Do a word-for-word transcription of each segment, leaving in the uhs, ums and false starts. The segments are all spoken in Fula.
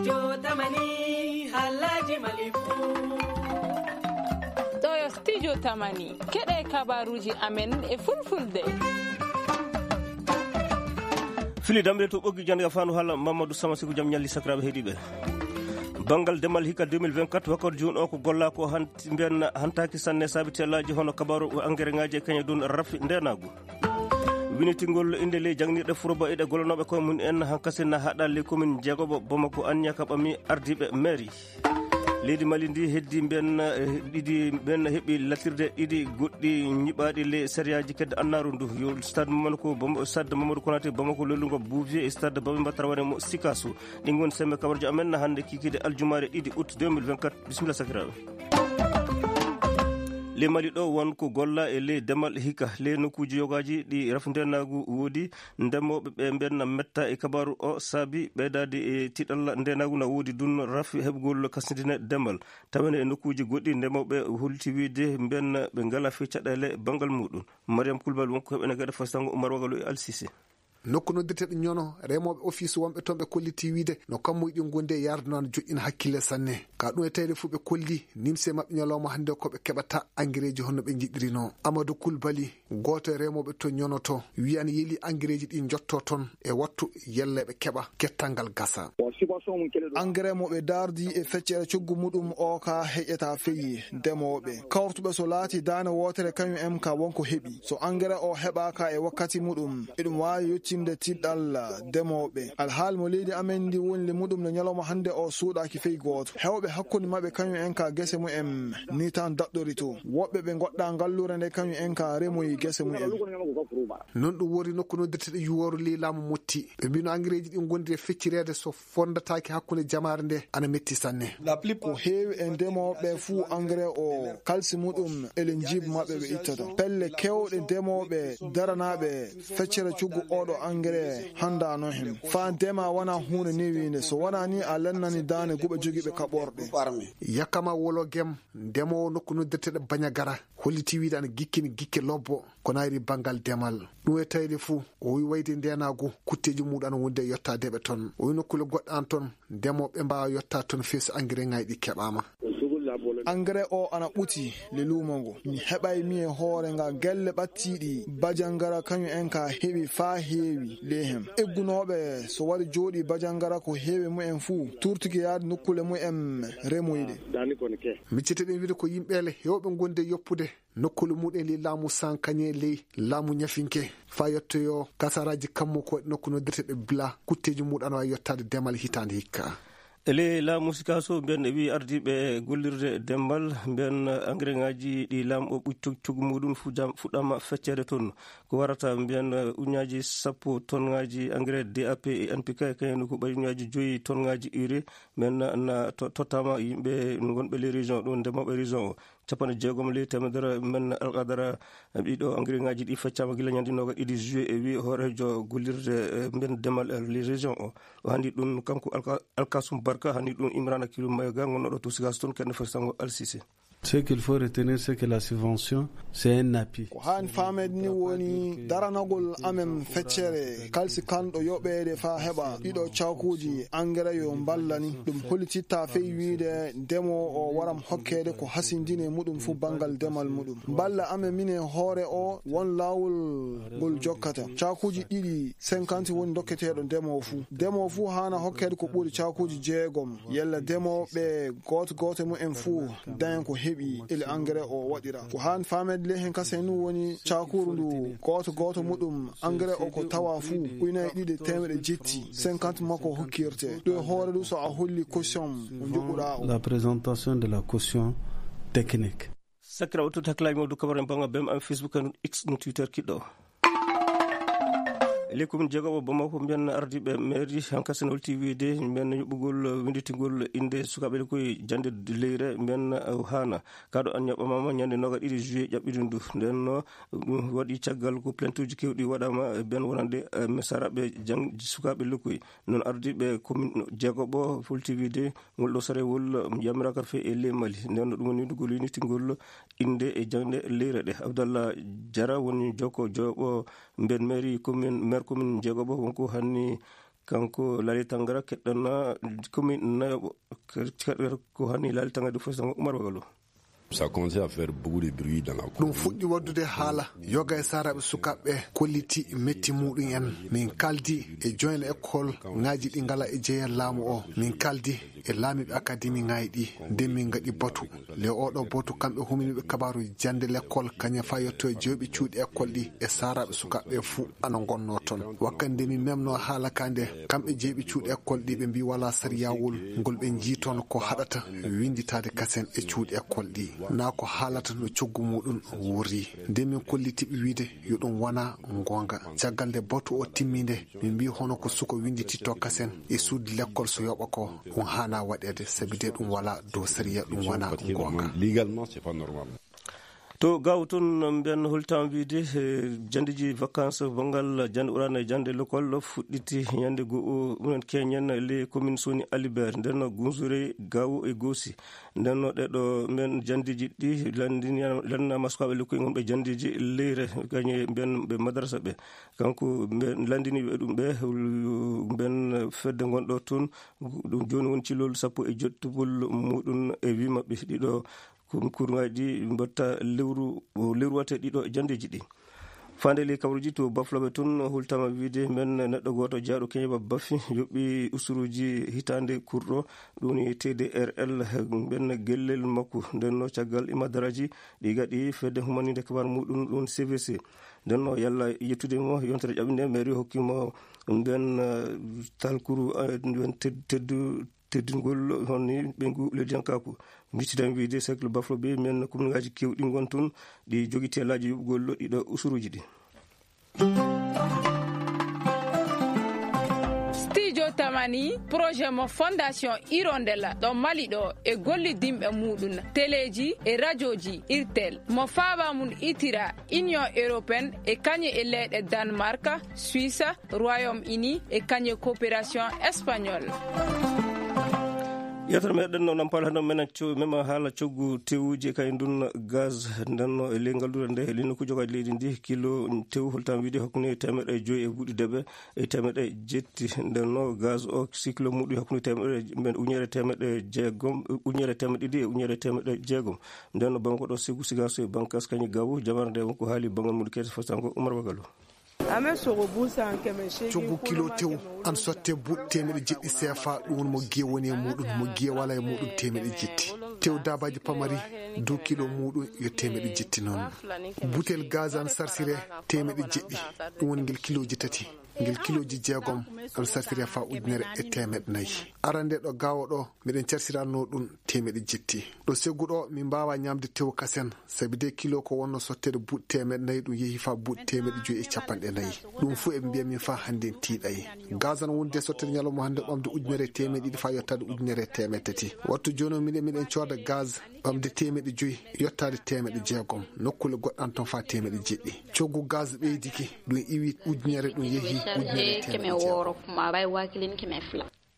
Jotamani, Alhaji Malifu. Ɗo yo Studio Tamani. Keɗe kabaruji amen e fulfulde. Fili damre to ɓoggi jande ka fandu hala Mamadou Sama Siku jam ñalli sakiraɓe heɗiɓe. Bangal demal hika deux mille vingt-quatre wakkati jun o ko golla ko hanti mbiyan hantaki sanne sabi tellaji hono kabaru engrais ngaji e kañe dun rafi ndenagu. Winitingol inde ley jangnirɗe Furoba e ɗe gollanooɓe koye mum en hankasi na haɗa ley commune jeegoɓo Bamako Anniya ka ɓami ardiiɓe mairie. Leydi Mali ndi heddi mbiyen, eh, ɗiɗi mbiyen heɓi latirde ɗiɗi goɗɗi ñiɓaaɗi ley sariyaji kedde annaaru ndu. Yo stade Mamadou ko Bam-, stade Mamadou Konaté Bamako lollugo Bouvier e stade Babemba Traoré mo Sikasso. Ɗin woni sembe kabarjo amen na hannde kikiiɗe aljumaare ɗiɗi août deux mille vingt-quatre. Bisimilla sakiraaɓe. Ley Mali ɗo won ko golla e ley demal hika. Ley nokkuuji yogaaji ɗi rafi ndeenaagu woodi, ndemooɓe ɓe mbenna metta e kabaaru o saabi ɓeydaade e tiɗalla ndeenaagu na woodi dun rafi heɓugol kasindine demal. Tawene e nokkuuji goɗɗi ndemooɓe holti wiide mbenna ɓe ngala fii caɗeele banngal muɗum. Mariam Kulbal wonko heɓene gaɗa fasango Umar Wagalo e Alsise. Nokku noddirteɗo ñono remooɓe office wonɓe toon ɓe kolliti wiide no kammuji ɗin gondi e yardunaano joƴƴina hakkille sanne. Ka ɗum e tawde fuu ɓe kolli nimse maɓɓe ñalawma hannde ko ɓe keɓata angereeji honno ɓe njiɗirino. Amadou Koulibaly, gooto e remooɓe to ñono to, wiyan yeli angereeji ɗi njotto toon e wattu yelle ɓe keɓa kettangal gasa. Engrais mo ɓe dardi e feccere coggu muɗum o ka heƴeta feyi ndemooɓe. Kawrutuɓe so laati daane wootere kañum en ka wonko heɓi. So engrais o heɓaaka e wakkati muɗum, eɗum waawi yottinde tiɗɗal ndemooɓe. Alhaali mo leydi amen ndi woni le muɗum no ñalawma hannde o suuɗaaki fey gooto. Heewɓe hakkunde maɓɓe kañum en ka gese mumen ni tan daɗɗori to. Woɓɓe ɓe ngoɗɗa ngalluure nde kañum en ka remoyi gese mumen. Non ɗum wori nokku noddirteɗo yuwooru ley laamu Motti. Ɓe mbino angereeji ɗi ngondi e feccireede so fondataake hakkunde jamaare nde ana metti sanne. Ko heewi e ndemooɓe fuu engrais o kalsi muɗum ele njiib maɓɓe ɓe ittata. Pelle keewɗe ndemooɓe daranaaɓe feccere cuggu oɗo engrais handaano hen. Faa ndema wona huunde newiinde. So wona ni a lennani daane guɓe jogiiɓe kaɓorɗe. Yakama Wolo Gem, ndemoowo nokku noddirteɗo Bañagara, holliti wiide ana gikkini gikke lobbo. Ko nayri banngal demal. Ɗum e tawde fuu, o wi wayde ndeenaagu, kutteeji muɗum ana wondi e yottadeɓe toon. O wi nokkuule goɗɗe an toon, ndemooɓe mbaawa yottaade toon fii so engrais ŋaaji ɗi keɓaama. Engrais o ana ɓuti le luumo ngo. Mi heɓay mi e hoore nga gelle ɓattiiɗi Bajangara kañum en ka heɓi faa heewi le hem. Eggunooɓe so wari jooɗi Bajangara ko heewi mumen fuu, turtiki yaade nokkuule mumen remoyɗe. Miccete ɗen wiide ko yimɓeele heewɓe gondi e yoppude. Nokkuule muɗum ley laamu Sankañe ley laamu Ñafinke. Faa yettoyo kasaraaji kammu ko waɗi nokku noddirteɗo Bila, kutteeji muɗum ana waawi yottaade demal hitaande hikka. E ley laamu Sikaso, mbiyen e wii ardiiɓe gollirde demal, mbiyen engrais ŋaaji ɗi laamu o ɓuccu coggu muɗum fu jam-, fuɗɗama feccere toon. Ko warata mbiyen uñaaji sappo tonŋaaji engrais D A P e N P K, kañum ko ɓay uñaaji joyi tonŋaaji urée, mbiyen na, na to-, tottama yimɓe wonɓe ley région ɗo, ndemooɓe région o. Capanɗe jeegom ley teemedere mbiyen alqadara, ɗiɗo engrais ŋaaji ɗi feccama gila ñande noogaɗe ɗiɗi juillet, e wi hooreejo gollirde, eh, mbiyen demal, eh, ley région o. O handi ɗum kanko Alka-, Alkasum Barka, handi ɗum Imrana Kilu Mayga, gonnoɗo to Sigas toon, kende fesango Alsise. Ce qu'il faut retenir, c'est que la subvention, c'est un appui. Ko haani faameede ni woni daranagol amen feccere kalsi kanɗo yoɓeede faa heɓa ɗiɗo caakuuji engrais yo mballani. Ɗum hollititta fey wiide ndemoowo o waram hokkeede ko hasindini e muɗum fu banngal demal muɗum. Mballa amen min e hoore o won laawol ngol jokkata. Caakuuji ɗiɗi cinquante woni dokketeeɗo ndemoowo fu. Ndemoowo fu haana hokkeede ko ɓuri caakuuji jeegom. Yalla ndemooɓe gooto gooto mumen fu daña ko heɓi ele engrais o waɗira. Ko haan faameede ley hen kasen woni caakuru ndu gooto gooto muɗum engrais o ko tawa fu ujunaaji ɗiɗi e teemedde jetti, cinquante makko hokkirte. Ɗo e hoore ɗum so a holli caution mo njoɓuɗaa o. La présentation de la caution technique. Sakira o tuta hakkilaaji mawɗo kabare bannga B M am Facebook en X no Twitter kiɗɗo. Ley commune jeegoɓo Bamako, mbiyen ardiiɓe mairie, hankasi no holti wiide, mbiyen yoɓugol winditingol innde sukaaɓe ɗe koye jannde leyre, mbiyen, uh, haana. Kaɗo an ñaɓɓamaama ñande noogaɗe ɗiɗi juillet ƴaɓɓiɗum ndu. Nden no, ɗum waɗi caggal ko plaintuuji keewɗi waɗaama e ben wonande, uh, mesaraɓe jang-, sukaaɓe lokkoy. Noon ardiiɓe commune jeegoɓo holti wiide, ngol ɗo sarewol yamiraaka fe e ley Mali. Nden no ɗum woni winndugol winditingol innde e jannde leyre ɗe. Abdallah Jara woni jokko jooɓo mbiyen mairie commune, maire commune jeegoɓo, wonko hanni Kanko Laali Tangara keɗɗan commune nayoɓo, ko hani Laali Tangara du fof sango Umar Wagalo. Ça commence à faire beaucoup de bruit dans la commune. Ɗum fuɗɗi waɗdude haala. Yoga e saaraaɓe sukaaɓe kolliti metti muɗum en. Min kaldi e joint école ŋaaji ɗi ngala e jeeya laamu o. Min kaldi e laamiiɓe akademi ŋaaji ɗi. Nde min ngaɗi batu. Le oɗo batu kamɓe huminiiɓe kabaaru jannde l'école kañum fa yetto e jeyɓe cuuɗi école ɗi e saaraaɓe sukaaɓe fuu ana ngonnoo toon. Wakkati nde min memnoo haala ka nde, kamɓe jeyɓe cuuɗi école ɗi ɓe mbii walaa sariyaawol ngol ɓe njii toon ko haɗata winnditaade kasen e cuuɗi école ɗi. Naa ko haalata no coggu muɗum worri. Nde min kolliti ɓe wiide yo ɗum wona ngoonga. Caggal nde batu o timmi nde, min mbii hono ko suka winndititto kasen e suudu lekkol so yoɓa ko, ɗum haanaa waɗeede, sabi de ɗum walaa dow sariya, ɗum wonaa goonga. Légalement, c'est pas normal. To Gaawo toon, mbiyen hultaama wiyde, eh, janndeeji vacances banngal jannde ɓuraaɗo e jannde l'école fuɗɗiti ñande goo, ɗum en keñen les communes Soni Alibert, nden no Gunzure, Gaawo e Goosi. Nden no ɗeɗo mbiyen janndeeji ɗi lanndini-, lanndinaama sukaaɓe lekkoy ngonɓe janndeeji leyre, kañe mbiyen ɓe madrasa ɓe. Kanko mbiyen lanndiniiɓe ɗum ɓe, mbiyen fedde ngonɗo toon, ɗum jooni woni ci lowlu sappo e jettugol muɗum e wii maɓɓe ɗiɗo kun-, kurŋaaji ɗi mbatta lewru, lewru wata ɗiɗo janndeeji ɗi. Faande ley kabaruuji to Bafloɓe toon, hultaama wiyde mbiyen neɗɗo gooto jeyaaɗo Keñeba Bafi yoɓi usuruuji hitaande kurɗo, ɗum woni T D R L, mbiyen gellel makko. Nden no caggal imadaraaji ɗi gaɗi fedde humaniinde kabaru muɗum, ɗum C V C. Nden no yalla yettude mo yontere ƴaɓɓinde, mairie hokki mo nden, eh, talkuru, eh, nden ted-, teddu-, teddingol honni ɓeyngu leydiyankaaku. Mbittiden wiyde cercle Bafloɓe, mbiyen commune ŋaaji keewɗi ngon toon, ɗi jogii teelaaji yoɓugol ɗiɗo usuruuji ɗi. Studio Tamani, projet mo Fondation Hirondelle ɗo Mali ɗo e gollidinɓe muɗum, teleeji e rajooji Irtel, mo faaba mum itira Union Européenne e kañe e leyɗe Danemark, Suisse, Royaume-Uni e kañe coopération espagnole. Yewtere meɗen no Nampal hannde menen co-, mema haala coggu tewuji e kañum ndun gaz ndenno e ley ngalluure nde, e ley nokkuuji jogaaji leydi ndi, kilo tew holtam wiide hakkunde teemeɗɗe joyi e buuɗi deɓe e teemeɗɗe jetti. Ndenno gaz o, si kilo muɗum hakkunde teemeɗɗe, men ujunere teemeɗɗe jeegom, ujunere teemeɗɗe ɗiɗi e ujunere teemeɗɗe jeegom. Ndenno banko ɗo Segu Sigaso e Bankas kañum gawo, jamare nde wonko haali bangal muɗum kete fasango Umar Wagalo. Coggu kilo tew an sotte buuɗi teemeɗɗe jeɗɗi C F A, ɗum woni mo giye woni e muɗum, mo giye wala e muɗum teemeɗɗe jetti. Tew dabaji pamari dow kilo muɗum yo teemeɗɗe jetti noon. Butel gaz an sarsire teemeɗɗe jeɗɗi, ɗum woni ngel kiloji tati. Ngel kiloji jeegom an sarsire fa ujunere e teemeɗɗe nayi. Arande ɗo gawo ɗo, miɗen carsiranno ɗum teemeɗɗe jetti. Ɗo Segu ɗo, min mbawa ñamde tew kasen, sabi de kilo ko wonno sotteede buuɗi teemeɗɗe nayi, ɗum yehi fa buuɗi teemeɗɗe joyi e capanɗe nayi. Ɗum fu eɓe mbiya min fa hannde en tiiɗay. Gaz an wonde sotteede ñalawma hannde ɓamde ujunere e teemeɗɗe ɗiɗi fa yottaade ujunere e teemeɗɗe tati. Wattu jooni o miɗen, miɗen cooda gaz ɓamde teemeɗɗe joyi, yottaade teemeɗɗe jeegom. Nokkule goɗɗe an toon fa teemeɗɗe jeɗɗi. Coggu gaz ɓeydiki, ɗum iwi ujunere, ɗum yehi ujunere e teemeɗɗe jeegom.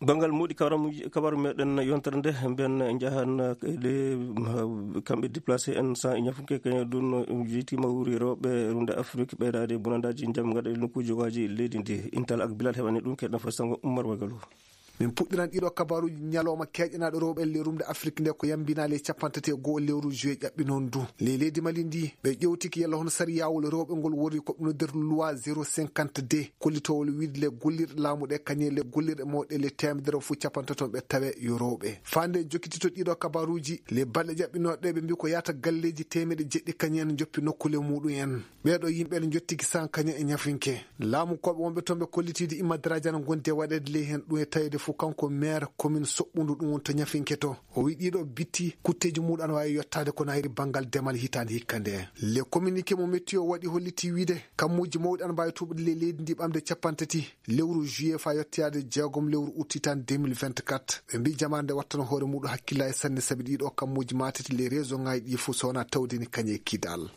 Banngal moɗi kabaru, kabaru meɗen yontere nde, mbiyen njahan ɗe, kamɓe déplacé en sans e ñafunke kañum ɗum no jeytima wuuri rewɓe rumde Afrique ɓeydaade bonandaji jam gaɗa e nokkuji jogaaji leydi ndi. Intal ak Bilal heɓani ɗum keɗen fof sango Ummar Wagalo. Min puɗɗiran ɗiɗo kabaruji ñalawma keƴanaaɗo rewɓe le rumde Afrique nde ko yambinaali e capanɗe tati e go'o lewru juillet ƴaɓɓi noon du. Le leydi Mali ndi ɓe ƴewtiki yalla hono sariyawol rewɓe ngol woni ko ɓe noddirta loi zéro cinquante-deux. Kollitowol wiide le gollirɗe laamu ɗe kañum le gollirɗe mawɗe le teemedere fof capanɗe tati on ɓe tawe yo rewɓe. Fande jokkitito ɗiɗo kabaruji, le balɗe ƴaɓɓinooɗe ɓe mbi ko yaata galleji teemeɗɗe jeɗɗi kañum en joppi nokkule muɗum en. Ɓeeɗo yimɓe ne jottiki san kañum e ñafinke. Laamu koɓe wonɓe toon ɓe kollitiide imma darajana gonde waɗeede ley heen ɗum e taweede fof kanko maire commune Soɓɓundu ɗum woni to ñafinke to. O wi ɗiɗo bitti kutteji muɗum ana wawi yottaade kono hayri banngal demal hitaande hikka nde. Le communiqué mo météo waɗi holliti wiide kammuuji mawɗi ana mbawi tuɓude ley leydi ndi ɓamde capanɗe tati lewru juillet fa yettoyaade jeegom lewru août hitaande deux mille vingt-quatre. Ɓe mbi jamaare nde wattano hoore muɗum hakkillaji sanne sabi ɗiɗo kammuuji matete ley région ngaji ɗi fof so wona tawde ni kañe e Kidal.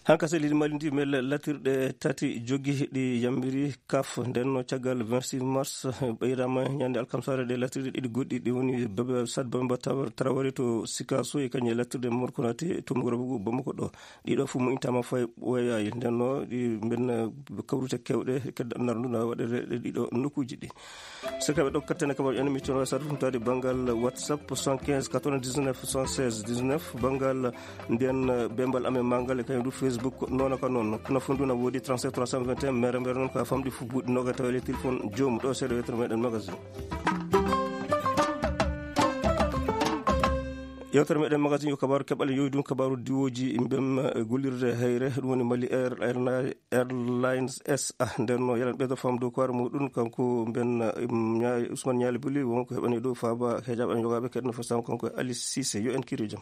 Hanka se leydi Mali ndi mel latirɗe tati jogi ɗi yambiri kaf. Nden no caggal vingt-six mars, ɓeyrama ñande alkamsare ɗe latirɗe ɗiɗi goɗɗi ɗi woni Baba Sad Bamba Tabar Traoré to Sikaso e kañe latirɗe Morkonate to Mugurabugu Bamako ɗo. Ɗiɗo fu mo intama fay ɓoyayi. Nden no ɗi mbenna kawrute kewɗe kedda nardu na waɗere ɗe ɗiɗo nokkuji ɗi. Saka ɓe ɗo kattene kabar en mi tono sar ɗum tawde banngal WhatsApp soixante-quinze quatre-vingt-dix-neuf soixante-seize dix-neuf, banngal nden, eh, bembal amen mangal e kañum du Facebook noon ka noon. Kono fof ndu na woodi trente-sept trois cent vingt et un, mere mere noon ko a famɗi fof buuɗi noga tawa le téléphone joom ɗo seeɗa yettere meɗen magazine. Yewtere meɗen magazine yo kabaru keɓal yowi ɗum kabaru diwoji mbem, eh, gollirde hayre ɗum woni Mali Air, Air, Airlines S A. Nden no yalan ɓeydo fam dow koore muɗum kanko mben, eh, Ña-, Ousmane Ñaali Buli wonko heɓani dow faaba hejaɓe an yogaɓe keɗno fo sam kanko e Alice Cissé yo en kiri jam.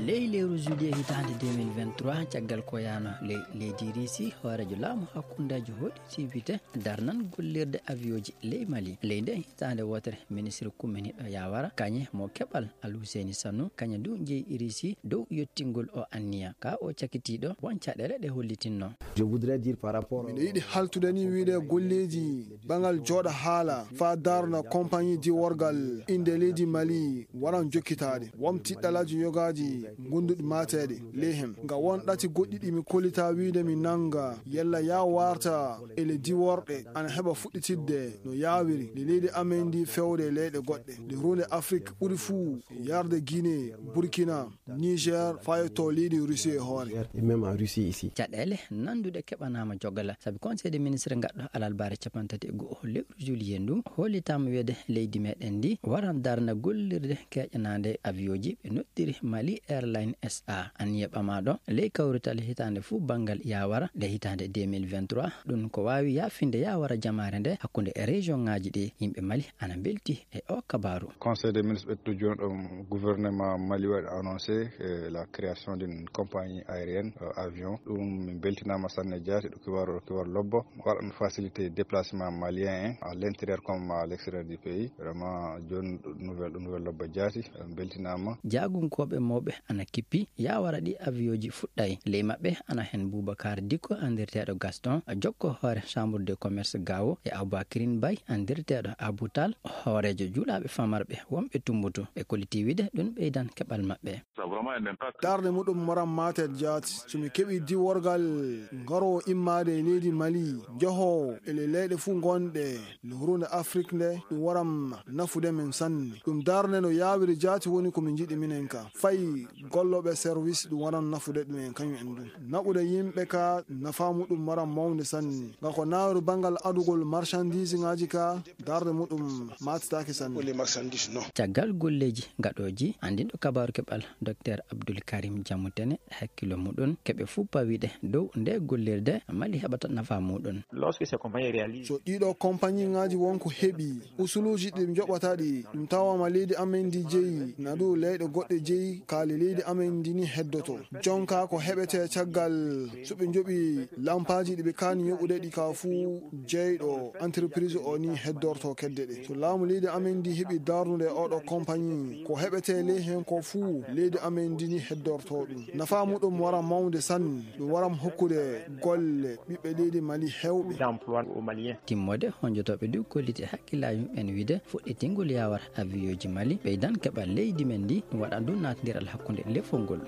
Ley lewru juillet hitaande deux mille vingt-trois, caggal ko yaano ley leydi Risi, hooreejo laamu hakkundeejo hoɗi sibite darnan gollirde avion ji ley Mali. Ley nde hitaande wootere, ministre kumminiiɗo Yawara kañe mo keɓal Al Husseini Sanu, kañe du jeyi Risi dow yottingol o anniya. Ka o cakitiiɗo, won caɗeele ɗe hollitinno. Je voudrais dire par rapport Miɗo yiɗi haltude ni wiide golleeji bangal jooɗa haala faa daarna compagnie diworgal innde leydi Mali waran jokkitaade. Won tiɗɗalaaji yogaaji ngonduɗi maateede ley hen. Nga won ɗati goɗɗi ɗi mi kollitaa wiide mi nannga yalla yaa warta e le diworɗe ana heɓa fuɗɗitidde no yaawiri nde leydi amen ndi fewde leyɗe goɗɗe. Nde huunde Afrik ɓuri fuu yarde Guinée, Burkina, Niger, faa yetto leydi Russie e hoore. Et même en Russie ici. Caɗeele nanduɗe keɓanaama jogala, sabi Conseil des ministres ngaɗɗo alarbaare capanɗe tati e go'o lewru juillet ndu, hollitaama wiyeede leydi meɗen ndi waran darna gollirde keƴanaande avion ji ɓe noddiri Mali Airline S A. Anniya ɓamaaɗo ley kawrital hitaande fuu banngal Yawara nde hitaande deux mille vingt-trois, ɗum ko waawi yaafinde Yawara jamaare nde hakkunde e région ŋaaji ɗi. Yimɓe Mali ana mbelti e o kabaaru. Conseil des ministres ɓettu jooni ɗo gouvernement Mali waɗi annoncé, eh, la création d'une compagnie aérienne, euh, avion. Ɗum min beltinaama sanne jaati, ɗo kibaru, ɗo kibaru lobbo. Waɗan facilité déplacement malien en à l'intérieur comme à l'extérieur du pays. Vraiment, jooni ɗo nouvelle, ɗo nouvelle lobbo jaati, en beltinaama. Jaagunkooɓe mawɓe ana kippi, Yawara ɗi avion ji fuɗɗay. Ley maɓɓe ana hen Boubacar Dicko, anndirteeɗo Gaston, jokko hoore Chambre de Commerce Gao, e Aboubacrin Bay, anndirteeɗo Abou Tal, hooreejo juulaaɓe famarɓe wonɓe Tumbutu. Ɓe kolliti wiide ɗum ɓeydan keɓal maɓɓe. Darnde muɗum waran maatel jaati. So mi keɓi diworgal ngaroowo immaade e leydi Mali, jahoowo e le leyɗe fuu ngonɗe le huruunde Afrik nde, ɗum waran nafude men sanne. Ɗum darnde no yaawiri jaati woni ko min njiɗi minen ka. Fay gollooɓe service ɗum waran nafude ɗum en kañum en ɗum. Naɓude yimɓe ka nafaa muɗum waran mawnde sanne. Nga ko naaru banngal adugol marchandise ŋaaji ka, darnde muɗum maatitaake sanne. Caggal golleeji gaɗooji, anndinɗo kabaaru keɓal Docteur Abdoul Karim Diamou Tene hakkilo muɗum keɓe fuu pawiɗe dow nde gollirde Mali heɓata nafaa muɗum. So ɗiɗo compagnie ŋaaji wonko heɓi usuluuji ɗi njoɓata ɗi, ɗum tawaama leydi amen ndi jeyi, na ɗum leyɗe goɗɗe jeyi, kaali leydi amen ndi ni heddoto. Jonka ko heɓete caggal so ɓe njoɓi lampaaji ɗi ɓe kaani yoɓude ɗi ka fuu, jeyɗo entreprise o ni heddorto kedde ɗe. So laamu leydi amen ndi heɓi darnude oɗo compagnie, ko heɓete ley hen ko fuu, leydi amen ndi ni heddorto ɗum. Nafaa muɗum wara mawnde sanne, ɗum waram hokkude golle ɓiɓɓe leydi Mali hewɓe. Timmode honjotooɓe du kolliti hakkillaaji muɓɓen wiide fuɗɗitingol yawar avion ji Mali ɓeydan keɓal leydi men ndi, ɗum waɗan du naatndiral hakkunde lefol ngol.